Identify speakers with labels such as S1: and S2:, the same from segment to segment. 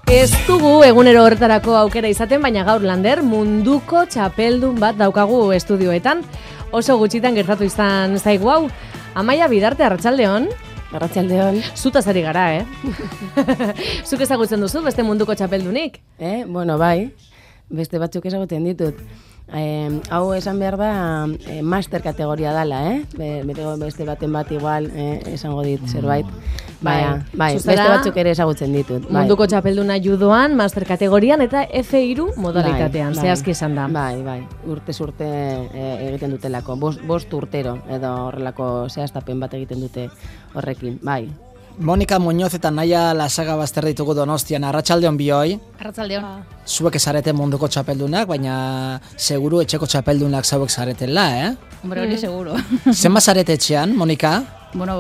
S1: Ez dugu egunero horretarako aukera izaten, baina gaur Lander munduko txapeldun bat daukagu estudioetan. Oso gutxitan gertatu izan zaigu hau. Amaia Bidarte, arratsaldeon.
S2: Arratsaldeon.
S1: Zutaz ari gara, Zuk ezagutzen duzu beste munduko txapeldunik?
S2: Bueno, bai. Beste batzuk ezagutzen ditut. Hau esan behar da master kategoria dala, beste baten bat igual esango dit zerbait. Bai, beste batzuk ere ezagutzen ditut.
S1: Munduko txapelduna judoan, master kategorian eta F3 modalitatean, zehazki esan da.
S2: Bai, urtez urte egiten dutelako, bost urtero edo horrelako zehaztapen bat egiten dute horrekin, bai.
S3: Monika Muñoz eta Naia Lasaga bazter ditugu Donostian. Arratsaldeon bioi.
S4: Arratsaldeon.
S3: Zuek zarete munduko txapeldunak, baina seguru etxeko txapeldunak zauek zaretela,
S4: Hombre, hori seguro.
S3: Zenba zarete etxean, Monika?
S4: Bueno,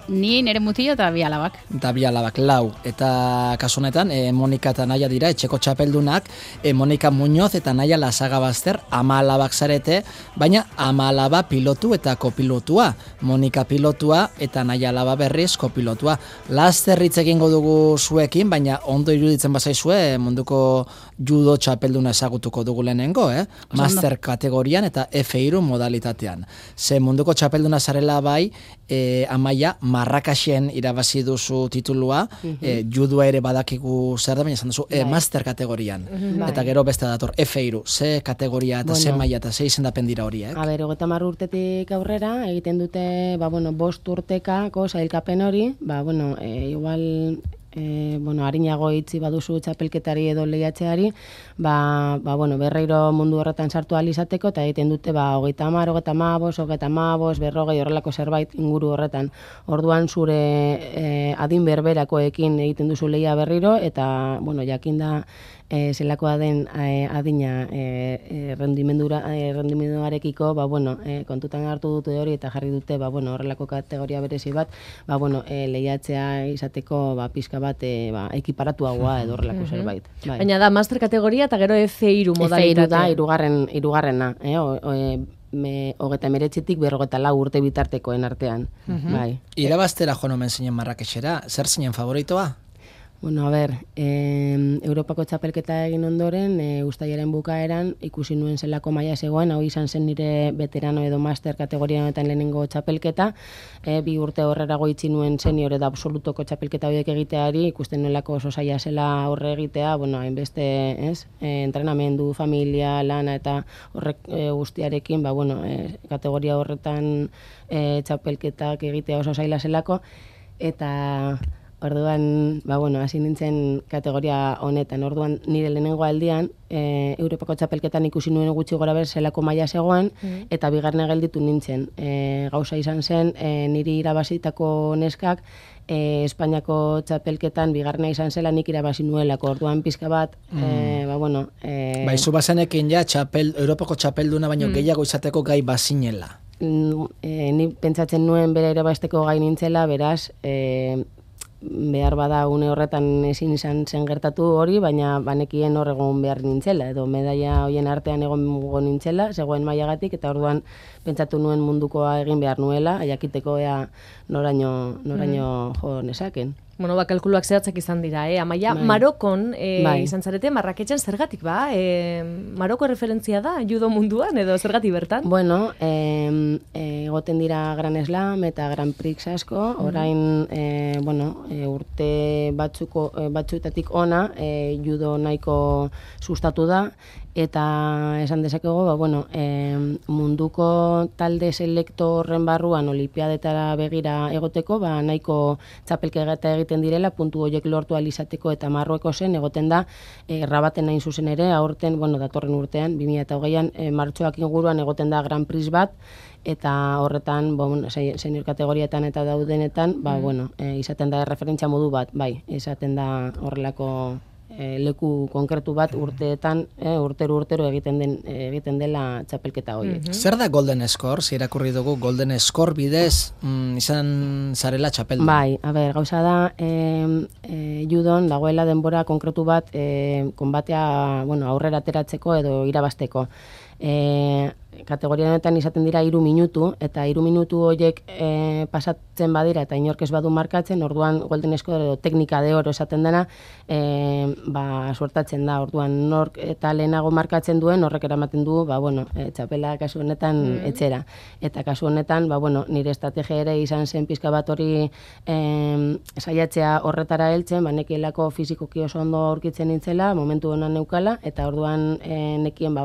S4: ni nire mutillo eta bi alabak.
S3: Eta bi alabak, lau. Eta kasu honetan, Monika eta Naia dira etxeko txapeldunak, Monika Muñoz eta Naia Lasaga bazter 10 alabak zarete, baina 10 alaba pilotu eta kopilotua. Monika pilotua eta Naia alaba berriz kopilotua. Laster hitz egingo dugu zuekin, baina ondo iruditzen bazaizue munduko judo txapelduna ezagutuko dugu lehenengo, Master kategorian eta F3 modalitatean. Ze munduko txapelduna zarela bai, Amaia, Marrakaxen irabazi duzu titulua, judua ere badakigu zer da, baina esan duzu, master kategorian. Eta gero beste dator, F3, ze kategoria eta ze maila eta ze izendapen dira horiek?
S2: 30 urtetik aurrera, egiten dute, 5 urtekako sailkapen hori, igual harinago itzi baduzu txapelketari edo lehiatzeari, berreiro mundu horretan sartu ahal izateko, eta egiten dute 30, 35, 40, horrelako zerbait inguru horretan. Orduan zure adin berberakoekin egiten duzu lehia berriro, eta jakinda zelakoa den adina rendimenduarekiko, kontutan hartu dute hori eta jarri dute horrelako kategoria berezi bat, lehiatzea izateko pizka bat ekiparatuagoa edo horrelako zerbait.
S1: Baina da master kategoria eta gero F3 modalitatea.
S2: F3 da hirugarrena, 39tik 54 urte bitartekoen artean.
S3: Irabaztera joan omen zinen Marrakexera, zer zinen favoritoa?
S2: Europako txapelketa egin ondoren, uztailaren bukaeran, ikusi nuen zelako maila zegoen, hau izan zen nire veterano edo master kategoria honetan lehenengo txapelketa, 2 urte horrerago itzi nuen senior edo absolutoko txapelketa horiek egiteari, ikusten nuelako oso zaila zela aurre egitea, hainbeste, entrenamendu, familia, lana eta horrek guztiarekin, kategoria horretan txapelketak egitea oso zaila zelako, eta orduan, hasi nintzen kategoria honetan. Orduan, nire lehenengo aldian, Europako txapelketan ikusi nuen gutxi gora ber zelako maila zegoen, eta bigarren gelditu nintzen. Gauza izan zen, niri irabazitako neskak, Espainiako txapelketan bigarrena izan zela nik irabazi nuelako. Orduan pizka bat,
S3: zu bazenekin Europako txapelduna baino gehiago izateko gai bazinela.
S2: Ni pentsatzen nuen bera irabazteko gai nintzela, beraz, behar bada une horretan ezin izan zen gertatu hori, baina banekien hor egon behar nintzela, edo medaia hoien artean egon nintzela, zegoen mailagatik, eta orduan pentsatu nuen mundukoa egin behar nuela, jakiteko noraino jo nezaken.
S1: Kalkuluak zehatzak izan dira, Amaia, Marokon izan zarete, Marraketxen zergatik Maroko referentzia da, judo munduan, edo zergatik bertan?
S2: Egoten dira Gran Slam eta Grand Prix asko, orain, urte batzuetatik ona, judo nahiko sustatu da, eta esan dezakego, munduko talde selekto horren barruan olimpiadetara begira egoteko, nahiko txapelketa egiten direla, puntu horiek lortu alizateko, eta Marruekosen egoten da, Rabaten hain zuzen ere, aurten, datorren urtean, 2008an, martxoak inguruan egoten da Grand Prix bat, eta horretan, senior kategorietan eta daudenetan, izaten da referentzia modu bat, izaten da horrelako leku konkretu bat urteetan, urtero egiten dela txapelketa horiek.
S3: Zer da Golden Score? Irakurri dugu Golden Score bidez izan zarela txapeldun.
S2: Gauza da, judon dagoela denbora konkretu bat konbatea aurrera ateratzeko edo irabazteko. kategoria honetan izaten dira 3 minutu, eta 3 minutu horiek pasatzen badira eta inork ez badu markatzen, orduan Golden Score edo teknika de oro esaten dena, suertatzen da, orduan nork eta lehenago markatzen duen, horrek eramaten du, txapela kasu honetan etxera. Eta kasu honetan, nire estrategia ere izan zen pizka bat hori saiatzea horretara heltzen, nekielako fizikoki oso ondo aurkitzen nintzela, momentu honan neukala, eta orduan nekien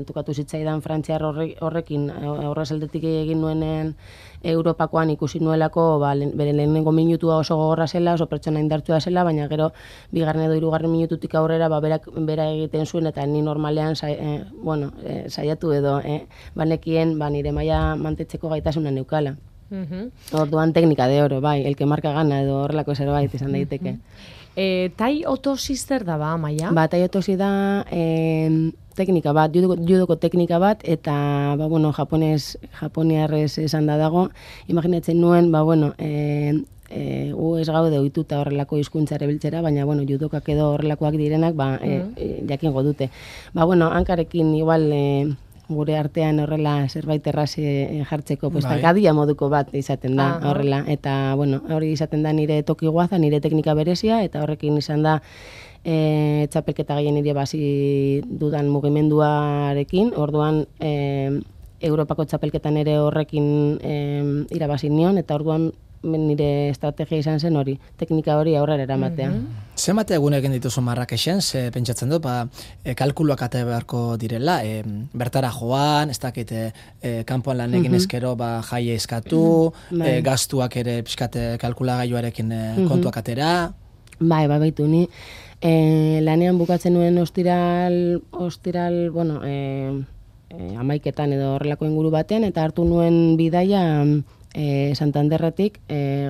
S2: tukatu zitzaidan frantziar horrekin horrez aldetik egin nuenen Europakoan ikusi nuelako bere lehenengo minutua oso gogorra zela, oso pertsona indartsua zela, baina gero bigarren edo hirugarren minututik aurrera bera egiten zuen eta ni normalean saiatu edo banekien nire maila mantetzeko gaitasuna neukala. Orduan teknika de oro, bai, el que marca gana edo horrelako zerbait izan daiteke.
S1: Tai otosi zer da Amaia?
S2: Tai otosi da teknika bat, judoko teknika bat, eta, japoniarrez esan da dago, imaginatzen nuen, gu ez gaude ohituta horrelako hizkuntza erabiltzera, baina, judokak edo horrelakoak direnak, jakingo dute. Hankarekin igual gure artean horrela zerbait erraz jartzeko, gadia moduko bat izaten da horrela, eta, hori izaten da nire toki guaza, nire teknika berezia, eta horrekin izan da txapelketa gehien nire basi dudan mugimenduarekin, orduan Europako txapelketan ere horrekin irabazi nion, eta orduan nire estrategia izan zen hori, teknika hori aurrera eramatea.
S3: Zenbat egun egin dituzu Marrakexen, ze pentsatzen dut, kalkuluak ate beharko direla, bertara joan, ez dakit, kanpoan lan egin ezkero jaia eskatu, gastuak ere pixkate kalkulagailuarekin kontuak atera.
S2: Baitu ni, lanean bukatzen nuen ostiral, 11 edo horrelako inguru batean, eta hartu nuen bidaia Santanderretik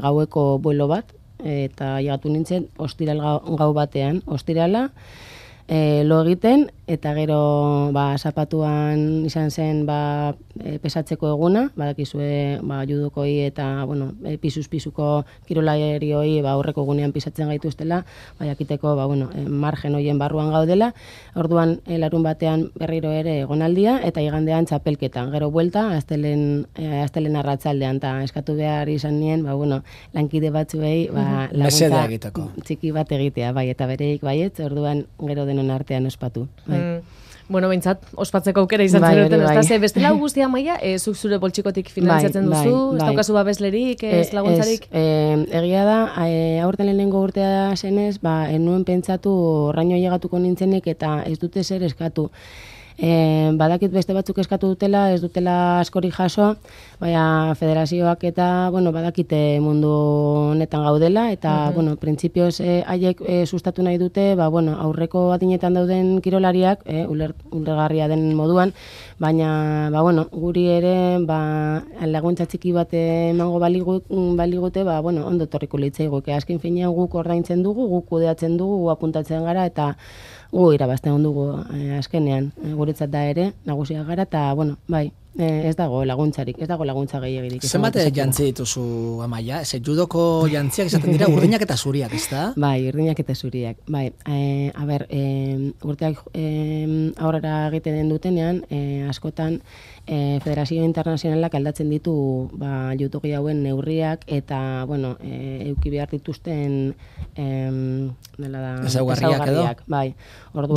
S2: gaueko vuelo bat, eta llegatu nintzen ostiral gau batean. Ostirala, lo egiten, eta gero zapatuan izan zen pesatzeko eguna, badakizue judokoi eta pisuz-pisuko kirolarioi aurreko egunean pisatzen gaituztela, jakiteko margen hoien barruan gaudela, orduan larun batean berriro ere egonaldia, eta igandean txapelketan, gero buelta, astelen arratzaldean, eta eskatu behar izan nien, lankide batzuei laguntza txiki bat egitea, eta bereik baietz, orduan gero denon artean ospatu.
S1: Behintzat, ospatzeko aukera izan zenuten, ez da, bestela guztia Amaia, zuk zure poltsikotik finantziatzen duzu, ez daukazu babeslerik, ez laguntzarik?
S2: Egia da, aurten lehenengo urtea zenez, enuen pentsatu horraino llegatuko nintzenek eta ez dute zer eskatu. Badakit beste batzuk eskatu dutela, ez dutela askori jaso, federazioak eta, badakite mundu honetan gaudela, eta, printzipioz haiek sustatu nahi dute, aurreko adinetan dauden kirolariak, ulergarria den moduan, baina, guri ere, laguntza txiki bat emango baligute, ondo torriko litzaigu, azken finean guk ordaintzen dugu, guk kudeatzen dugu, gu apuntatzen gara, eta gu irabazten dugu azkenean, guretzat da ere, nagusiak gara, eta, ez dago laguntzarik, ez dago laguntza gehiagirik.
S3: Zenbat jantzi dituzu Amaia? Judoko jantziak izaten dira urdinak eta zuriak, ez da?
S2: Urdinak eta zuriak. Urteak aurrera egiten den dutenean, askotan Federazio Internazionalak aldatzen ditu judoki hauen neurriak eta, euki behar dituzten
S3: ezaugarriak edo?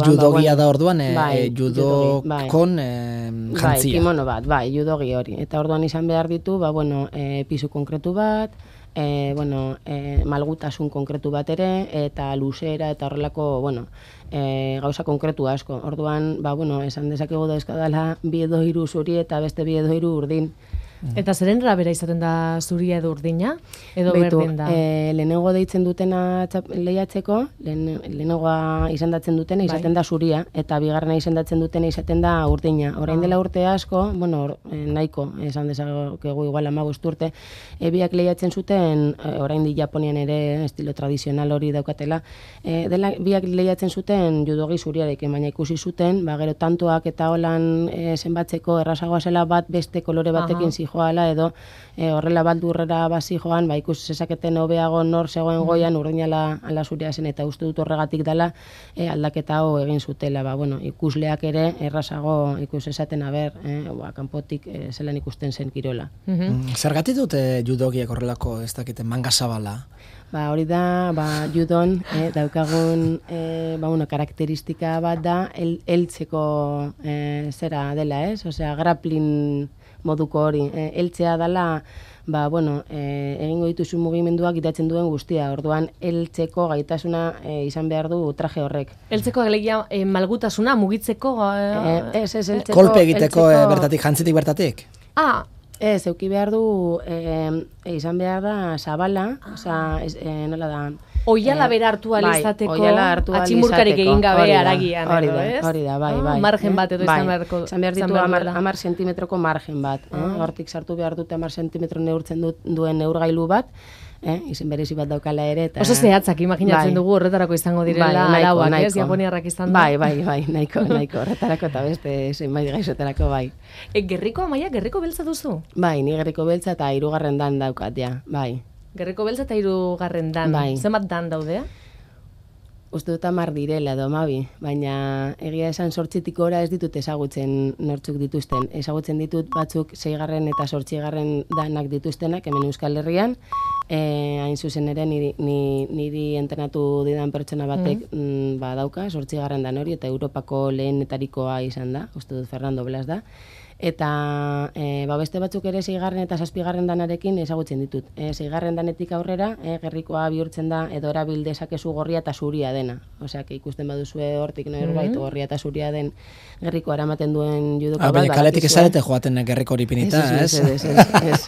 S2: Judogia
S3: da orduan, judokon jantzia.
S2: Kimono bat, judogi hori. Eta orduan izan behar ditu, pisu konkretu bat, malgutasun konkretu bat ere, eta luzera eta horrelako, gauza konkretu asko. Orduan, esan dezakegu da eskadala 2 edo 3 zuri eta beste 2 edo 3 urdin.
S1: Eta zeren rabera izaten da zuria edo urdina? Edo berdin da?
S2: Lehenengo deitzen dutena lehiatzeko, lehenengoa izendatzen dutena izaten da zuria, eta bigarrena izendatzen dutena izaten da urdina. Orain dela urte asko, nahiko, esan dezakegu igual 15 urte, biak lehiatzen zuten, orain di Japonian ere estilo tradizional hori daukatela, biak lehiatzen zuten judogi zuriarekin, baina ikusi zuten, gero tantoak eta holan zenbatzeko errazagoa zela bat beste kolore batekin joala edo horrela baldurrera basi joan, ba, ikus zezaketen hobeago nor zegoen goian urdinala ala zurea zen, eta uste dut horregatik dela aldaketa hau egin zutela, ba, bueno, ikusleak ere errazago ikus esaten aber, kanpotik zelan ikusten zen kirola.
S3: Zergatik dute judogiek horrelako ez dakite manga zabala?
S2: Ba, hori da, judon daukagun karakteristika bat da heltzeko zera dela, ez? Osea, grappling moduko hori. Heltzea dela, egingo dituzu mugimenduak itatzen duen guztia. Orduan, heltzeko gaitasuna izan behar du traje horrek.
S1: Heltzeko alegia malgutasuna, mugitzeko?
S2: Ez, heltzeko.
S3: Kolpe egiteko bertatik, jantzitik bertatik?
S2: Ez, euki behar du, izan behar da zabala, nola da...
S1: Oiala bera hartu alizateko, atximurkarik egin gabe aragian,
S2: hori da, bai.
S1: Margen bat edo izan beharko.
S2: Izan behar ditu 10 zentimetroko margen bat. Hortik sartu behar dute 10 zentimetro neurtzen duen neurgailu bat, izen berezi bat daukala ere.
S1: Oso zehatzak imaginatzen dugu horretarako izango direla arauak, ez? Japoniarrak izan da.
S2: Bai, nahiko horretarako eta beste zenbait gaizotarako, bai.
S1: Gerriko, Amaia, gerriko beltza duzu?
S2: Bai, ni gerriko beltza eta 3. dan daukat, ja, bai.
S1: Gerriko beltza eta 3. dan.
S2: Bai.
S1: Zenbat dan daudea?
S2: Uste dut 10 direla edo 12, baina egia esan 8tik gora ez ditut ezagutzen nortzuk dituzten. Ezagutzen ditut batzuk 6. eta 8. danak dituztenak hemen Euskal Herrian, hain zuzen ere niri entrenatu didan pertsona batek dauka 8. dan hori, eta Europako lehenetarikoa izan da, uste dut Fernando Blas da. Eta beste batzuk ere 6. eta 7. danarekin ezagutzen ditut. 6. danetik aurrera, gerrikoa bihurtzen da edo erabil dezakezu gorria eta zuria dena. Osea, ikusten baduzue hortik norbait gorria eta zuria den gerrikoa eramaten duen judoka bat.
S3: Baina kaletik ezarete joaten gerriko hori pinita, ez?
S2: Ez.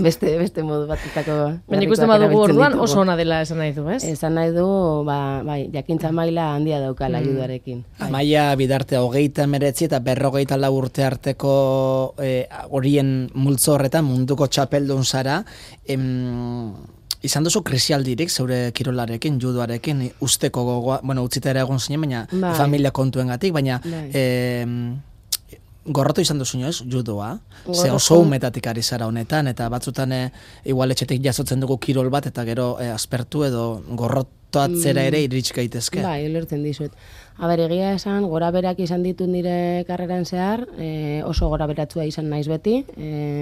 S2: Beste modu batetako.
S1: Baina ikusten badugu orduan oso ona dela esan nahi du, ez?
S2: Esan nahi du, jakintza maila handia daukala judoarekin.
S3: Amaia Bidarte 39 eta 54 urte arte horien multzo horretan munduko txapeldun zara, izan duzu krisialdirik zeure kirolarekin, judoarekin, usteko gogoa, utzita ere egon zinen, baina familia kontuengatik, baina gorrotu izan duzu ez, judoa, ze oso umetatik ari zara honetan, eta batzutan igual etxetik jasotzen dugu kirol bat, eta gero aspertu edo gorrotoatzera ere iritsi gaitezke.
S2: Bai, lertzen dizut. Egia esan, gora berak izan ditut nire karreran zehar, oso gora beratzua izan naiz beti,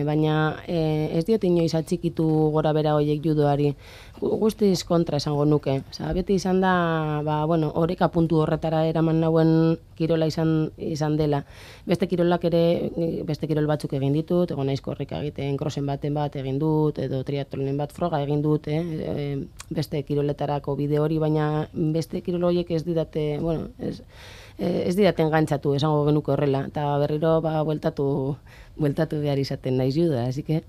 S2: baina ez diot inoiz atxikitu gora bera horiek judoari, guztiz kontra esango nuke. Beti izan da, oreka puntu horretara eraman nauen kirola izan dela. Beste kirolak ere, beste kirol batzuk egin ditut, egon naiz korrika egiten, krosen baten bat egin dut, edo triatlonen bat froga egin dut, beste kiroletarako bide hori, baina beste kirol horiek ez didate, ez didaten gantzatu, esango genuke horrela, eta berriro bueltatu behar izaten naiz juda, así que...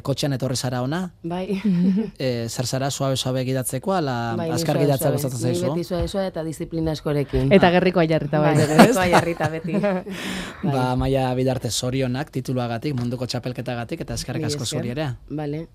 S3: Kotxean etorri zara ona?
S2: Bai.
S3: Zer zara, suabe gidatzeko, ala azkar gidatza gustatzen zaizu?
S2: Ni beti suabe eta disiplina askorekin.
S1: Eta gerrikoa jarrita bai, ez?
S2: Gerrikoa jarrita beti.
S3: Amaia Bidarte zorionak, tituluagatik, munduko txapelketagatik, eta eskerrik asko zuri ere.
S2: Vale.